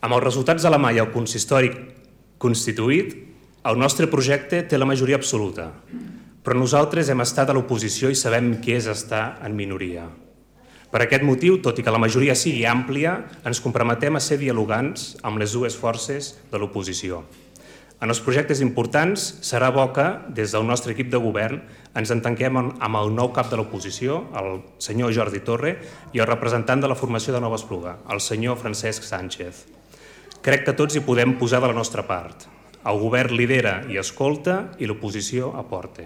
Amb els resultats de la mà i el consistori constituït, el nostre projecte té la majoria absoluta, però nosaltres hem estat a l'oposició i sabem què és estar en minoria. Per aquest motiu, tot i que la majoria sigui àmplia, ens comprometem a ser dialogants amb les dues forces de l'oposició. En els projectes importants serà bo que, des del nostre equip de govern, ens entenguem amb el nou cap de l'oposició, el senyor Jordi Torre, i el representant de la formació de Nova Espluga, el senyor Francesc Sánchez. Crec que tots hi podem posar de la nostra part. El govern lidera i escolta i l'oposició aporta.